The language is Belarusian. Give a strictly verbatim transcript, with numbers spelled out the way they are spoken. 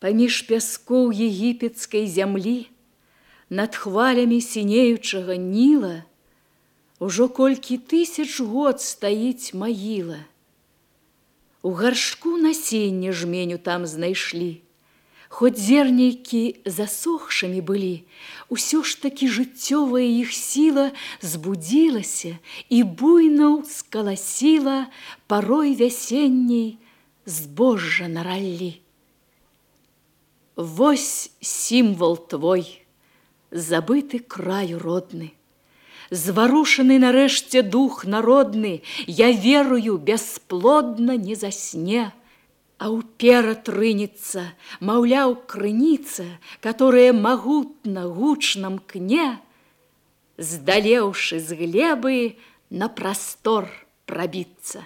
Паміж пяскоў егіпецкай зямлі, над хвалямі сінеючага Ніла, ужо колькі тысяч год стаіць магіла. У гаршку насенне жменю там знайшлі. Хоць зернейкі засохшымі былі, усё ж такі жыццёвая іх сіла збудзілася і буйна ўскаласіла парой вясенняй збожжа на раллі. Вось сімвал твой, забыты краю родны, зварушаны нарэшце дух народны, я верую, бясплодна не засне, а ўперад рынецца, маўляў, крыніца, которая магутна гучна мкне, здалеўшы з глебы на прастор прабіцца.